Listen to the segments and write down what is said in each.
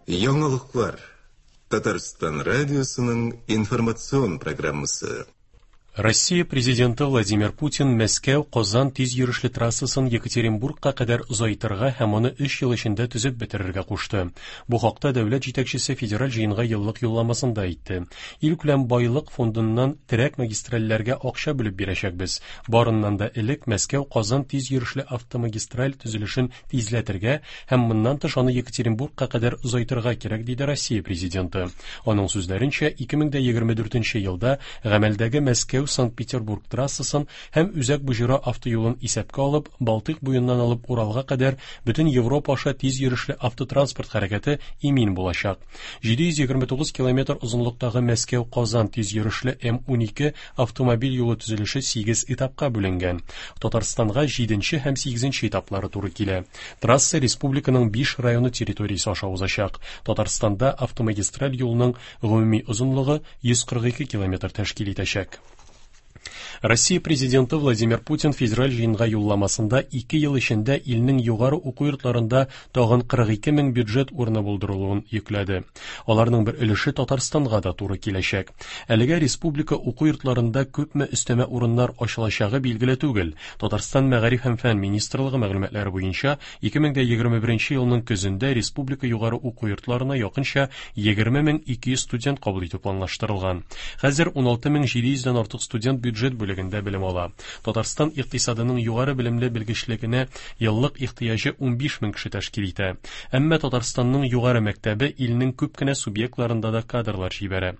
Яңалыклар. Татарстан радиосының информацион программасы. Россия Президенты Владимир Путин Мәскәү-Казан тиз йөрешле трассасын Екатеринбургка кадәр озайтырга һәм аны өч ел эчендә төзеп бетерергә кушты. Бу хакта дәүләт җитәкчесе федераль җыенга еллык юлламасында әйтте. Илкүләм байлык фондыннан терәк магистральләргә акча бүлеп бирәчәкбез. Барыннан да элек Мәскәү-Казан тиз йөрешле автомагистраль төзелешен тизләтергә һәм моннан тыш аны Екатеринбургка кадәр озайтырга кирәк, диде Россия Президенты. Аның сүзләренчә, 2024 елда гамәлдәге Мәскәү-Санкт-Петербург трассасын һәм Үзәк Боҗра автоюлын исәпкә алып, Балтыйк буеннан алып Уралга кадәр бөтен Европа аша тиз йөрешле автотранспорт хәрәкәте имин булачак. 729 километр озынлыктагы Мәскәү-Казан тиз йөрешле М-12 автомобиль юлы төзелеше сигез этапка бүленгән. Татарстанга җиденче һәм сигезенче этаплары туры килә. Трасса республиканың биш районы территориясе аша узачак. Татарстанда автомагистраль юлның гомуми озынлыгы 142 километр тәшкил итәчәк. Россия Президенты Владимир Путин федераль җыенга юлламасында ике ел эчендә илнең югары уку йортларында тагын 42 мең бюджет урыны булдырылуын йөкләде. Аларның бер өлеше Татарстанга да туры киләчәк. Әлегә республика уку йортларында күпме өстәмә урыннар ачылачагы билгеле түгел. Татарстан Мәгариф һәм фән министрлыгы мәгълүматлары буенча, 2021 елның көзендә республика югары уку йортларына якынча 20 200 студент кабул итү планлаштырылган. Хәзер 16 700 дән артык студент бюджет бүлегендә белем ала. Татарстан икътисадының югары белемле белгечлегенә еллык ихтыяҗы 15 мең кеше тәшкил итә. Әмма Татарстанның югары мәктәбе илнең күп кенә субъектларында да кадрлар җибәрә.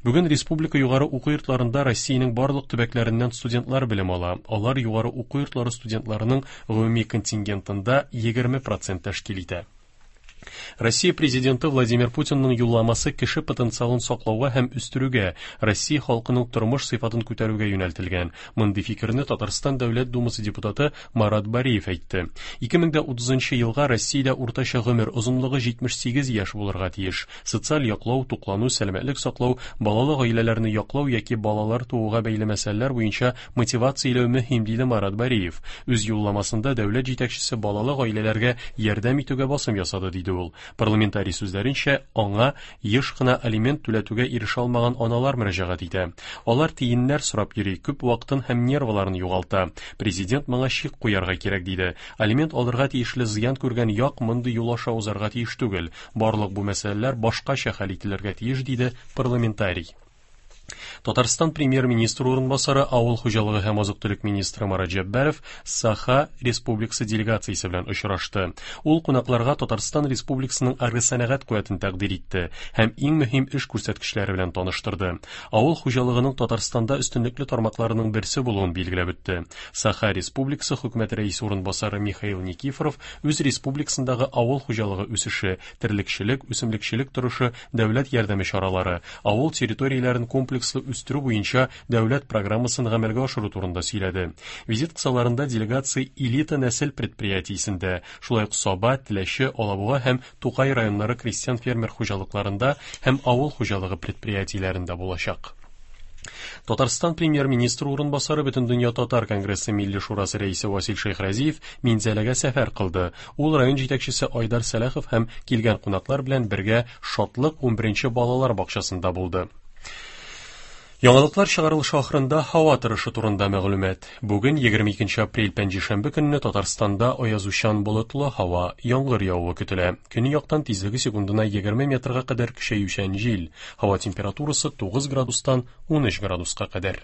Бүген республика югары уку йортларында Россиянең барлык төбәкләреннән студентлар белем ала. Алар югары уку йортлары студентларының гомуми контингентында 20 процент тәшкил итә. Россия Президенты Владимир Путинның юлламасы кеше потенциалын саклауга һәм үстерүгә, Россия халкының тормыш сыйфатын күтәрүгә юнәлтелгән. Мондый фикерне Татарстан Дәүләт Думасы депутаты Марат Бариев әйтте. 2030 елга Россиядә уртача гомер озынлыгы 78 яшь булырга тиеш. Социаль яклау, туклану, сәламәтлек саклау, балалы гаиләләрне яклау яки балалар тууга бәйле мәсьәләләр буенча мотивацияләү мөһим, диде Марат Бариев. Үз юлламасында дәүләт җитәкчесе балалы гаиләләргә ярдәм итүгә басым ясады, диде ул. Парламентарий сүзләренчә, аңа еш кына алимент түләтүгә ирешә алмаган аналар мөрәҗәгать итә. Алар тиеннәр сорап йөри, күп вакытын һәм нервыларын югалта. Президент моңа чик куярга кирәк, диде. Алимент алырга тиешле зыян күргән як мондый юл аша узарга тиеш түгел. Барлык бу мәсьәләләр башкача хәл ителергә тиеш, диде парламентарий. Татарстан премьер-министры урынбасары, авыл хуҗалыгы һәм азык-төлек министры Марат Җәббаров Саха Республикасы делегациясе белән очрашты. Ул кунакларга Татарстан Республикасының агросәнәгать куәтен тәкъдир итте һәм иң мөһим эш күрсәткечләре белән таныштырды. Авыл хуҗалыгының Татарстанда өстенлекле тармакларының берсе булуын билгеләп үтте. Саха Республикасы хөкүмәте рәисе урынбасары Михаил Никифоров үз республикасындагы авыл хуҗалыгы үсеше, терлекчелек, үсемлекчелек торышы, дәүләт ярдәме чаралары, авыл территорияләрен комплекслы үстерү буенча дәүләт программасын гамәлгә ашыру турында сөйләде. Визит кысаларында делегация Элита нәсел предприятиесендә, шулай ук Саба, Теләче, Алабуга һәм Тукай районнары крестьян-фермер хуҗалыкларында һәм авыл хуҗалыгы предприятиеләрендә булачак. Татарстан премьер-министры урынбасары Бөтендөнья татар конгрессы Милли шурасы рәисе Васил Шәйхразиев Минзәләгә сәфәр кылды. Ул район җитәкчесе Айдар Сәлахов һәм килгән кунаклар белән бергә Шатлык 11 балалар бакчасында булды. Яңалыклар чыгарылышы ахырында һава торышы турында мәгълүмат. Бүген 22 апрель пәнҗешәмбе көнне Татарстанда аязучан болытлы һава, яңгыр явуы көтелә. Көньяктан тизлеге секундына 20 метрга кадәр көчәючән җил. Һава температурасы 9 градустан 13 градуска кадәр.